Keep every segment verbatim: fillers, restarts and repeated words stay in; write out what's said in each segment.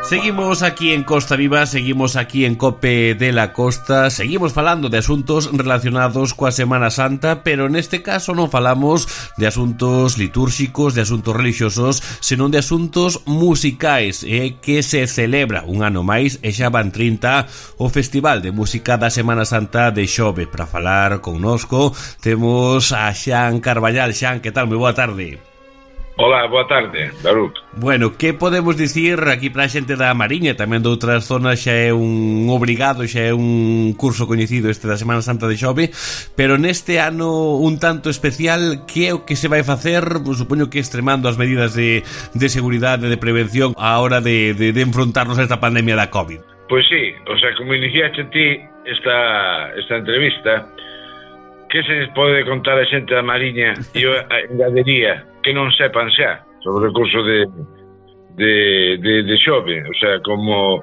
Seguimos aquí en Costa Viva, seguimos aquí en Cope de la Costa, seguimos falando de asuntos relacionados coa Semana Santa, pero neste caso non falamos de asuntos litúrxicos, de asuntos religiosos, senón de asuntos musicais, eh, que se celebra un ano máis, e xa van trinta, o Festival de Música da Semana Santa de Xove. Para falar connosco temos a Xan Carballal. Xan, que tal? Moi boa tarde. Hola, boa tarde, Daruc. Bueno, que podemos dicir aquí para a xente da Mariña, tamén de outras zonas xa é un obrigado, xa é un curso coñecido este da Semana Santa de Xove, pero neste ano un tanto especial, que é o que se vai facer? Supoño que extremando as medidas de, de seguridade, de prevención a hora de, de, de enfrontarnos a esta pandemia da COVID. Pois sí, o sea, como iniciaste ti esta, esta entrevista, que se pode contar a xente da Mariña? E eu engadería que non sepan xa sobre o curso de, de, de, de Xove, o sea, como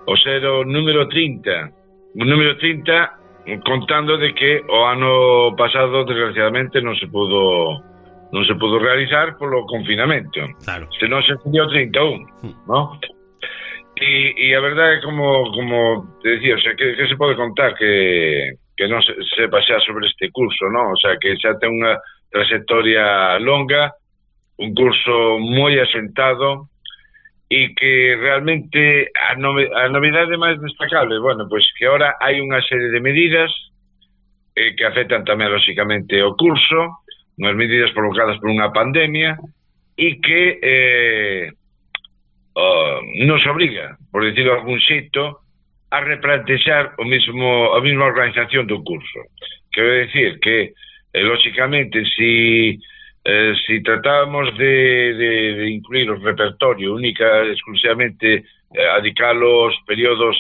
o ser o número trinta, o número trinta, contando de que o ano pasado desgraciadamente non se pudo non se pudo realizar polo confinamento. Claro. Se non se cumplió trinta e un, ¿no? E, e a verdade é como como te decía, o sea, que, que se pode contar que que non se sepa xa sobre este curso, ¿no? O sea, que xa ten unha trayectoria longa, un curso moi asentado, e que realmente a, nove, a novidade máis destacable, bueno, pois que ahora hai unha serie de medidas eh, que afectan tamén lóxicamente o curso, unhas medidas provocadas por unha pandemia, e que eh, oh, nos obriga, por decirlo de algún xeito, a replantexar o mismo, a mesma organización do curso. Quero decir que, eh, lóxicamente, si Eh, si tratábamos de, de, de incluir o repertorio única, exclusivamente eh, adicar os períodos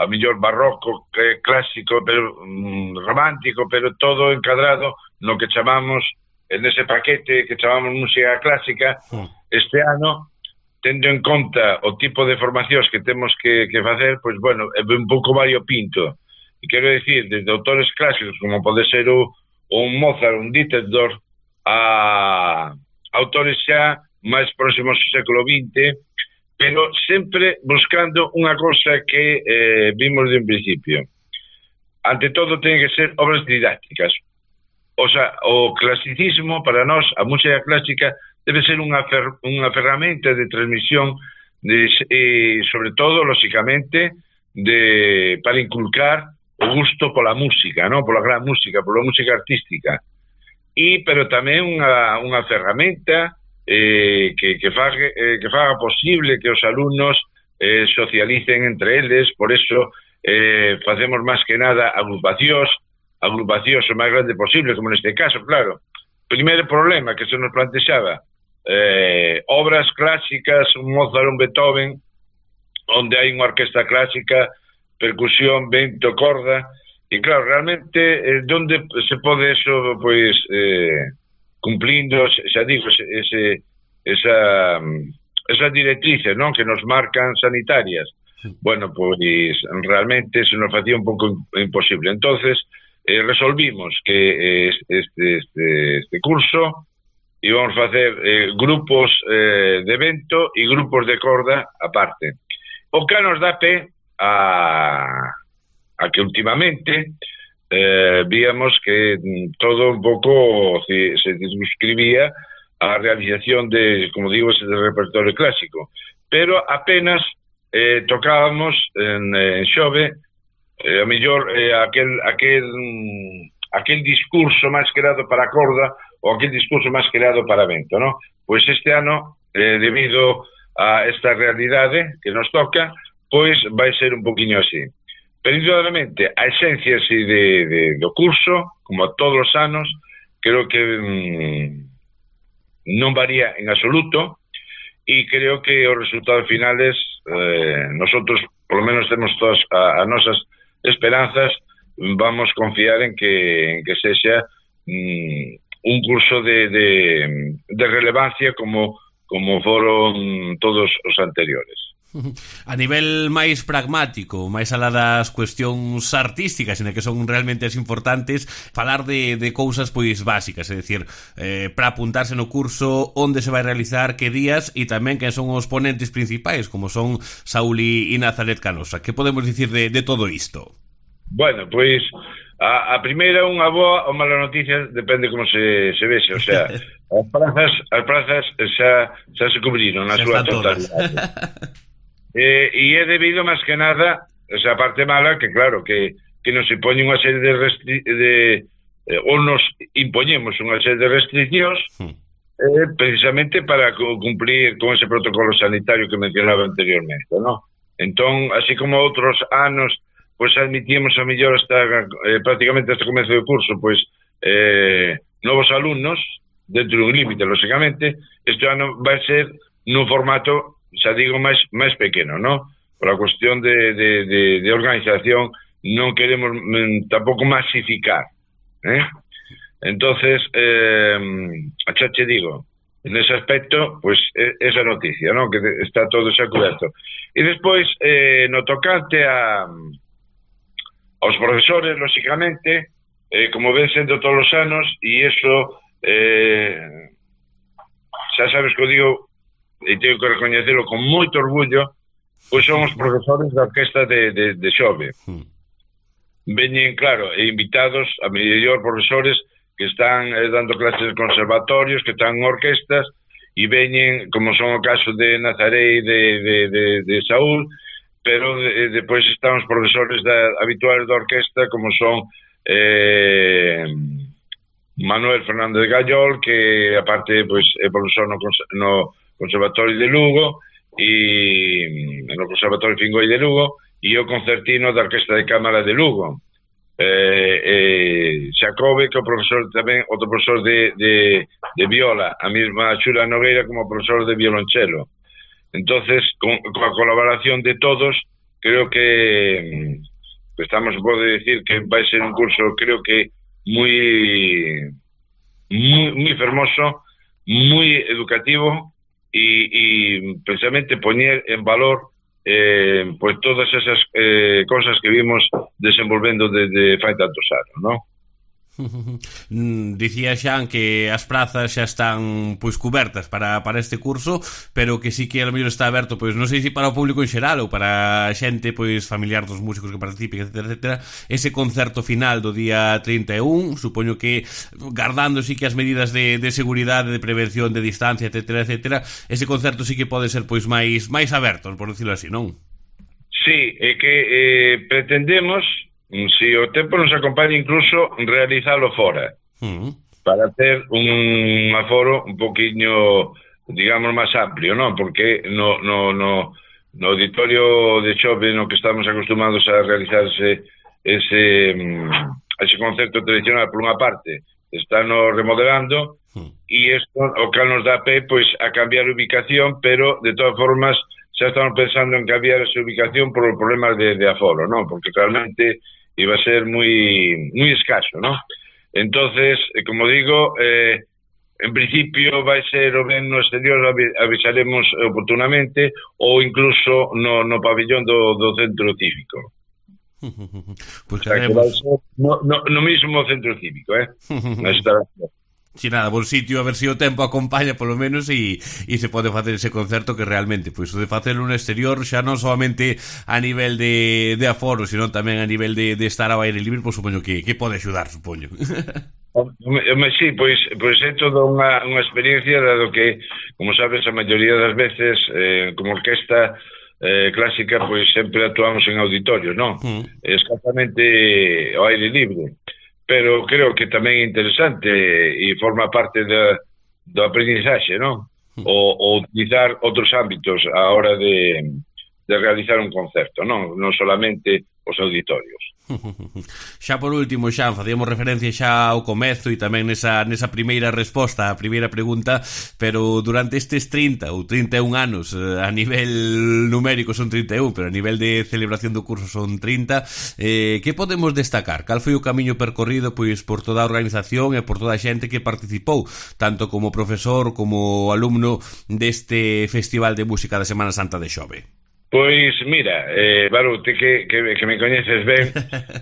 a mellor barroco, eh, clásico, pero mm, romántico, pero todo encadrado no que chamamos, en ese paquete que chamamos música clásica, este ano, tendo en conta o tipo de formacións que temos que, que facer, pois bueno, é un pouco variopinto. E quero decir, desde autores clásicos, como pode ser o, un Mozart, un Dittersdorf, a autores xa máis próximos ao século vinte, pero sempre buscando unha cosa que eh, vimos de un principio. Ante todo, ten que ser obras didácticas. O sea, o clasicismo, para nós, a música clásica, debe ser unha, fer unha ferramenta de transmisión, de, eh, sobre todo, lóxicamente, de, para inculcar o gusto pola música, ¿no? Pola gran música, pola música artística. E pero tamén unha, unha ferramenta eh, que, que, faga, eh, que faga posible que os alumnos eh, socialicen entre eles. Por eso eh, facemos máis que nada agrupacións, agrupacións o máis grande posible, como neste caso, claro. Primeiro problema que se nos plantexaba, eh, obras clásicas, un Mozart, un Beethoven, onde hai unha orquesta clásica, percusión, vento, corda. E claro, realmente, eh, donde se pode eso, pois, eh, cumplindo, xa digo, ese, esa, esas directrices, non, que nos marcan sanitarias. Bueno, pois, realmente se nos facía un pouco imposible. Entonces, eh, resolvimos que eh, este, este, este curso íbamos facer eh, grupos eh, de vento e grupos de corda aparte. O que nos dá pé a... a que últimamente eh, víamos que todo un pouco se, se describía a realización de, como digo, ese de repertorio clásico, pero apenas eh, tocábamos en, en Xove eh, a mellor eh, aquel, aquel, aquel discurso máis creado para corda ou aquel discurso máis creado para vento, ¿no? Pois este ano, eh, debido a esta realidade que nos toca, pois vai ser un poquinho así. Pero, indudablemente, a esencia así de, de, do curso, como a todos os anos, creo que mmm, non varía en absoluto, e creo que os resultados finales, eh, nosotros, por lo menos, temos todas a, a nosas esperanzas, vamos confiar en que, en que sexa mmm, un curso de, de, de relevancia como, como foron todos os anteriores. A nivel máis pragmático, máis alá das cuestións artísticas, en que son realmente as importantes, falar de, de cousas pois básicas, é dicir, eh, para apuntarse no curso, onde se vai realizar, que días, e tamén quen son os ponentes principais, como son Saúl e Nazaret Canosa. Que podemos dicir de, de todo isto? Bueno, pois a, a primeira unha boa ou mala noticia, depende como se, se vexe, o sea, as prazas, as prazas xa, xa se cubriron na súa totalidade. Eh, e é debido máis que nada esa parte mala que claro que, que nos impone unha serie de, restri de eh, ou nos impoñemos unha serie de restriccións eh, precisamente para cumplir con ese protocolo sanitario que mencionaba anteriormente, ¿no? Entón, así como outros anos pois admitíamos a mellor hasta eh, prácticamente hasta o comezo do curso pois eh, novos alumnos dentro dun límite, lógicamente este ano vai ser nun formato xa digo, máis máis pequeno, ¿no? Por a cuestión de, de, de, de organización non queremos mm, tampouco masificar, ¿eh? Entonces, eh, xa che digo, en ese aspecto, pues, esa noticia, ¿no? Que está todo xa coberto. E despois, eh, no tocante a aos profesores, lógicamente, eh, como ven sendo todos os anos, e iso, eh, xa sabes que o digo, e teño que recoñecelo con moito orgullo, pois son os profesores da orquesta de, de, de Xove. Veñen, claro, e invitados a mellor profesores que están eh, dando clases de conservatorios, que están en orquestas, e veñen, como son o caso de Nazaré e de, de, de, de Saúl, pero de, depois están os profesores da, habituales da orquesta, como son eh, Manuel Fernández Gallol, que aparte pois, é profesor no, no Conservatorio de Lugo e no Conservatorio Fingoi de Lugo e o concertino da Orquesta de Cámara de Lugo, eh, eh, Xacobe, que é o profesor tamén, outro profesor de, de, de viola, a mesma Xula Nogueira como profesor de violonchelo. Entonces, con, con a colaboración de todos, creo que, que estamos, pode decir que vai ser un curso, creo que moi moi, moi fermoso, moi educativo, y, y precisamente poñer en valor eh, pues todas esas eh, cosas que vimos desenvolvendo desde fai tantos anos, ¿no? Dicía Xan que as prazas xa están pois cubertas para, para este curso, pero que sí que a lo mellor está aberto, pois non sei se para o público en xeral ou para xente pois familiar dos músicos que participen, etcétera, etcétera. Ese concerto final do día trinta e un, supoño que guardando sí que as medidas de, de seguridade, de prevención, de distancia, etcétera, etcétera, ese concerto sí que pode ser pois máis máis aberto, por decirlo así, non? Sí, é que eh, pretendemos, si o tempo nos acompaña, incluso realizalo fora, uh-huh. para ter un aforo un poquinho, digamos, máis amplio, non? Porque no, no, no, no auditorio de Xove no que estamos acostumados a realizarse ese, ese concerto tradicional, por unha parte, están remodelando, uh-huh. e isto o que nos dá pé pois, a cambiar a ubicación, pero de todas formas xa estamos pensando en cambiar esa ubicación por os problemas de, de aforo, non? Porque realmente iba a ser moi moi escaso, ¿no? Entonces, como digo, eh, en principio vai ser o ben no exterior, avisaremos oportunamente, ou incluso no, no pabellón do, do centro cívico. Pues o sea, que vai ser no, no, no mismo centro cívico, eh? Na instalación. Si nada, bon sitio, a ver se si o tempo acompaña polo menos e, e se pode facer ese concerto que realmente, pois o de facelo no exterior xa non solamente a nivel de, de aforo, sino tamén a nivel de, de estar ao aire libre, pois supoño que, que pode axudar, supoño. Sí, pois, pois é toda unha, unha experiencia, dado que, como sabes, a maioría das veces, eh, como orquesta eh, clásica, pois sempre actuamos en auditorios, non? Mm. Escasamente ao aire libre. Pero creo que tamén é interesante e forma parte da, do aprendizaxe, non? O, o utilizar outros ámbitos a hora de, de realizar un concerto, non? Non solamente os auditorios. Xa por último, Xan, facíamos referencia xa ao comezo e tamén nesa, nesa primeira resposta a primeira pregunta, pero durante estes trinta ou trinta e un anos, a nivel numérico son trinta e un, pero a nivel de celebración do curso son trinta, eh, que podemos destacar? Cal foi o camiño percorrido pois por toda a organización e por toda a xente que participou, tanto como profesor como alumno deste Festival de Música da Semana Santa de Xove? Pois, mira, eh, Barute, que, que, que me coñeces ben,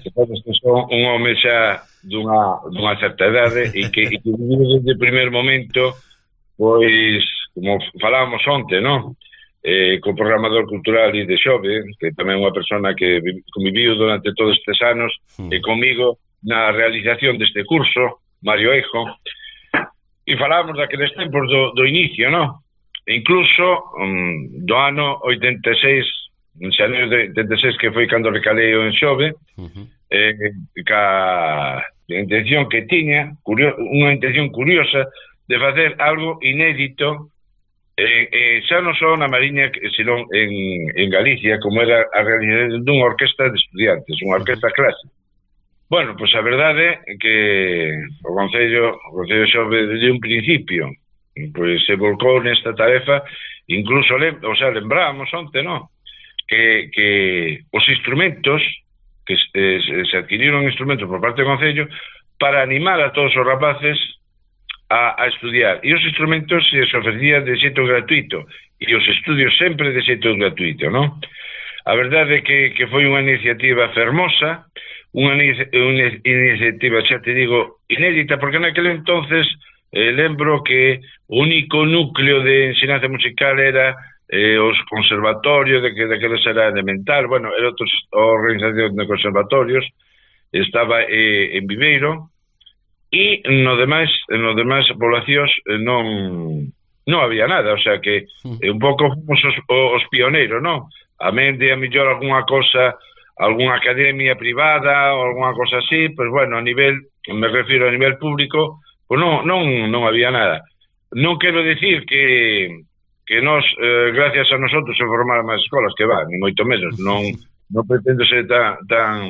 que sabes que son un home xa dunha, dunha certa idade e que, e que viviu desde o primer momento, pois, como falábamos onte, non? Eh, co programador cultural de Xove, que tamén é unha persona que conviviu durante todos estes anos, mm. e comigo na realización deste curso, Mario Eijo, e falábamos daqueles tempos do, do inicio, non? Incluso um, do ano oitenta e seis, en xaneiro de oitenta e seis, que foi cando recalei en Xove, uh-huh. eh, ca a intención que tiña, curio, unha intención curiosa de facer algo inédito, eh, eh, xa non só na Mariña, senón en, en Galicia, como era a realización dunha orquesta de estudiantes, unha orquesta clásica. Bueno, pois a verdade é que o Concello, o Concello Xove, desde un principio, pois se volcou nesta tarefa, incluso, o sea, lembrábamos onte, non? Que, que os instrumentos, que eh, se adquiriron instrumentos por parte do Concello para animar a todos os rapaces a, a estudiar. E os instrumentos se ofrecían de xeito gratuito, e os estudios sempre de xeito gratuito, non? A verdade é que, que foi unha iniciativa fermosa, unha, unha iniciativa, xa te digo, inédita, porque naquele entonces Eh, lembro que o único núcleo de ensinanza musical era eh, os conservatorios, de que daqueles era elemental, bueno, era outras organizacións de conservatorios, estaba eh, en Viveiro, e no demais, no demais poblacións eh, non non había nada, o sea que eh, un pouco fomos os, os pioneiros, non? A mente, a mellor algunha cosa, algunha academia privada ou algunha cosa así, pues bueno, a nivel, me refiro a nivel público, pues non, non, non había nada. Non quero decir que que nos, eh, gracias a nosotros se formaran máis escolas, que va, ni moito menos, non, non pretendo ser tan tan,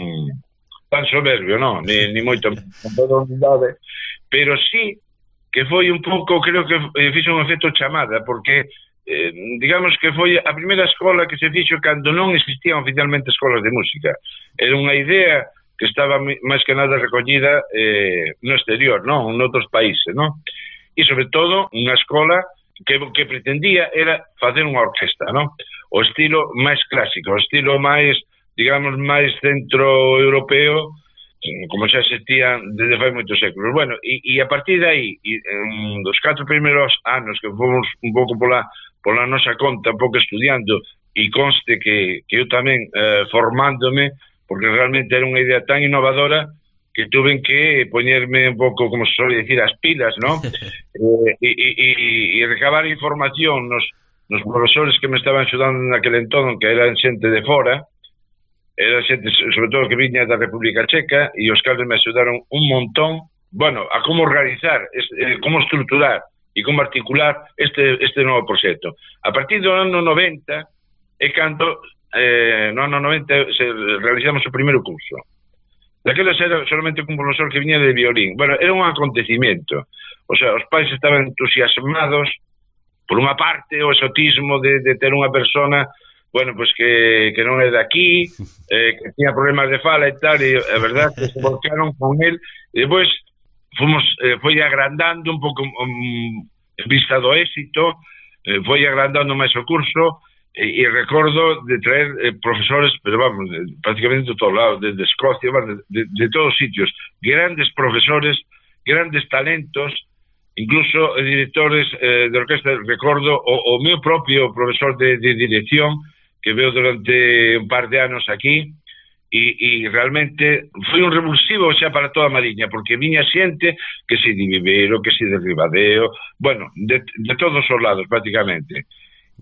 tan soberbio, non, ni, ni moito menos, con toda humildade, pero sí que foi un pouco, creo que eh, fixo un efecto chamada, porque eh, digamos que foi a primeira escola que se fixo cando non existían oficialmente escolas de música. Era unha idea que estaba máis que nada recollida eh, no exterior, non? En outros países, non? E, sobre todo, unha escola que, que pretendía era facer unha orquesta, non? O estilo máis clásico, o estilo máis, digamos, máis centroeuropeo, como xa existía desde fai moitos séculos. Bueno, e, e a partir de aí, e, um, dos catro primeiros anos que fomos un pouco pola, pola nosa conta, un pouco estudiando, e conste que, que eu tamén eh, formándome, porque realmente era unha idea tan innovadora que tuve que poñerme un pouco, como se suele decir, as pilas, ¿no? eh, e, e, e recabar información nos, nos profesores que me estaban axudando naquele entón, que eran xente de fora, era xente, sobre todo, que viña da República Checa, e os cales me axudaron un montón, bueno, a como organizar, este, como estruturar e como articular este, este novo proxecto. A partir do ano noventa é cando Eh, no ano noventa se realizamos o primeiro curso. Daqueles era solamente un profesor que viña de violín. Bueno, era un acontecimiento. O sea, os pais estaban entusiasmados por unha parte o exotismo de, de ter unha persona, bueno, pues que, que non é de aquí, eh, que tiña problemas de fala e tal, e a verdade que se volcaron con él, e depois fomos, eh, foi agrandando un pouco um, en vista do éxito, eh, foi agrandando máis o curso. E, e recordo de traer eh, profesores, pero vamos, de, prácticamente de todos lados, desde Escocia, de, de, de todos sitios, grandes profesores, grandes talentos, incluso eh, directores eh, de orquesta. Recordo o, o meu propio profesor de, de dirección, que veo durante un par de anos aquí, e, e realmente foi un revulsivo xa para toda a Mariña, porque viña xente que se de Viveiro, que se de Ribadeo, bueno, de, de todos os lados prácticamente.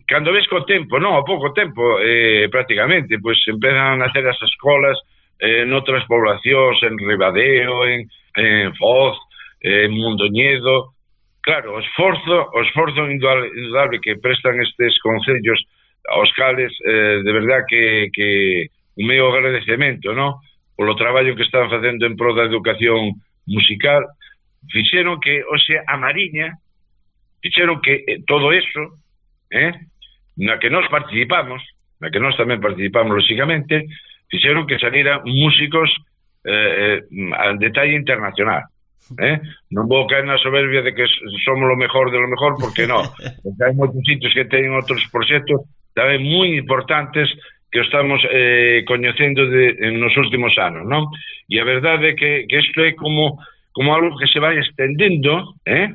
Cando ves co tempo, non, a pouco tempo, eh, prácticamente, pois pues, empezan a hacer as escolas eh, en outras poblacións, en Ribadeo, en, en Foz, eh, en Mondoñedo. Claro, o esforzo, o esforzo indudable que prestan estes concellos aos cales, eh, de verdad que, que o meu agradecemento, non? Polo traballo que están facendo en pro da educación musical, fixeron que, o sea, a Mariña, fixeron que eh, todo eso, eh, na que nós participamos, na que nós tamén participamos lóxicamente, fixeron que salieran músicos eh, al detalle internacional. Eh? Non vou caer na soberbia de que somos lo mejor de lo mejor, porque non, porque hai moitos sitios que teñen outros proxectos tamén moi importantes que estamos eh, coñecendo de, en nos últimos anos, non? E a verdade é que, que isto é como, como algo que se vai estendendo, eh?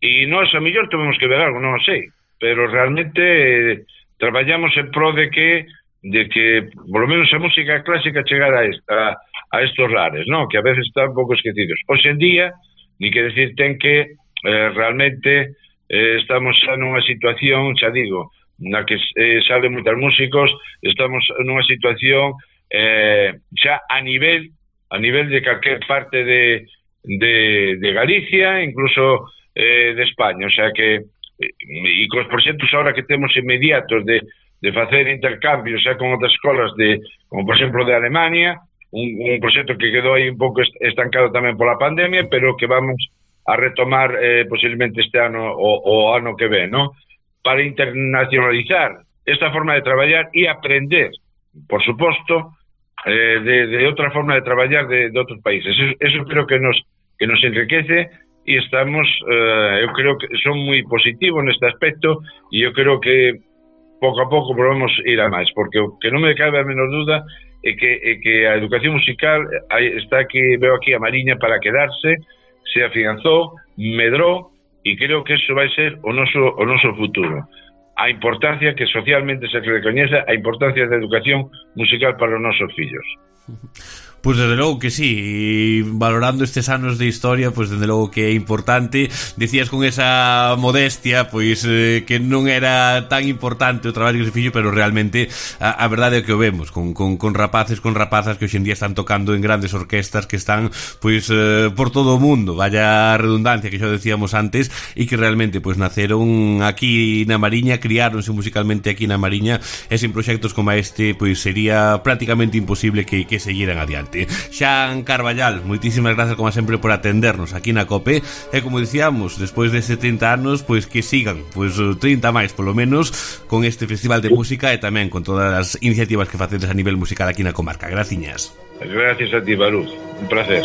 E nós a mellor temos que ver algo, non sei, pero realmente eh, traballamos en pro de que de que, por lo menos a música clásica chegara a, esta, a estos lares, non? Que a veces están un pouco esquecidos. Hoxe en día, ni que decir, ten que eh, realmente eh, estamos xa nunha situación, xa digo, na que eh, salen moitos músicos, estamos nunha situación eh, xa a nivel a nivel de calquer parte de, de, de Galicia, incluso eh, de España, o sea que e cos proxectos ahora que temos inmediatos de, de facer intercambios xa con outras escolas de, como por exemplo de Alemania, un, un proxecto que quedou aí un pouco estancado tamén pola pandemia, pero que vamos a retomar eh, posiblemente este ano o, o ano que ven, ¿no? Para internacionalizar esta forma de traballar e aprender, por suposto, eh, de, de outra forma de traballar de, de outros países. Eso, eso creo que nos que nos enriquece e estamos, eh, eu creo que son moi positivos neste aspecto e eu creo que pouco a pouco podemos ir a máis, porque o que non me cabe a menor duda é que, é que a educación musical está aquí, veo aquí a Mariña para quedarse, se afianzou, medrou, e creo que eso vai ser o noso, o noso futuro. A importancia que socialmente se recoñeza a importancia da educación musical para os nosos fillos. Pois desde logo que sí, e valorando estes anos de historia, pois desde logo que é importante. Dicías con esa modestia, pois eh, que non era tan importante o traballo que se fixo, pero realmente a, a verdade é que o vemos con, con, con rapaces, con rapazas que hoxe en día están tocando en grandes orquestas que están pois eh, por todo o mundo, vaya redundancia que xa decíamos antes, e que realmente pois naceron aquí na Mariña, criáronse musicalmente aquí na Mariña, e sin proxectos como este pois sería prácticamente imposible que, que seguiran adiante. Xan Carballal, moitísimas grazas como sempre por atendernos aquí na COPE, e como dicíamos, despois de setenta anos, pois que sigan, pois trinta máis polo menos, con este festival de música e tamén con todas as iniciativas que facedes a nivel musical aquí na comarca. Graciñas. Gracias a ti, Baruz, un placer.